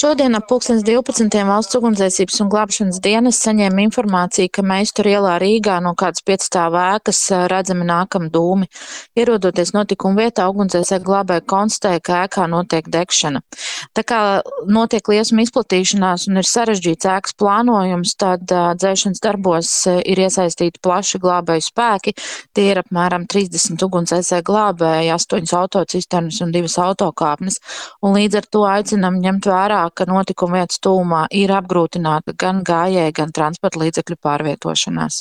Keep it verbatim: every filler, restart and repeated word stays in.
Šodien ap pulkstens divpadsmitiem Valsts ugunsdzēsības un glābšanas dienests saņēma informāciju, ka Meisturu ielā Rīgā no kādas piecstāvu ēkas redzami nākam dūmi. Ierodoties notikuma vietā, ugunsdzēsēji glābēji konstatēja, ka ēkā notiek degšana. Tā kā notiek liesma izplatīšanās un ir sarežģīts ēkas plānojums, tad dzēšanas darbos ir iesaistīti plaši glābēju spēki. Tie ir apmēram trīsdesmit ugunsdzēsēji glābēji, astoņas autocisternas un divas autokāpnes. Un līdz ar to aicinam ņemt vērā, ka notikuma vietas tuvumā ir apgrūtināta gan gājēju, gan transporta līdzekļu pārvietošanās.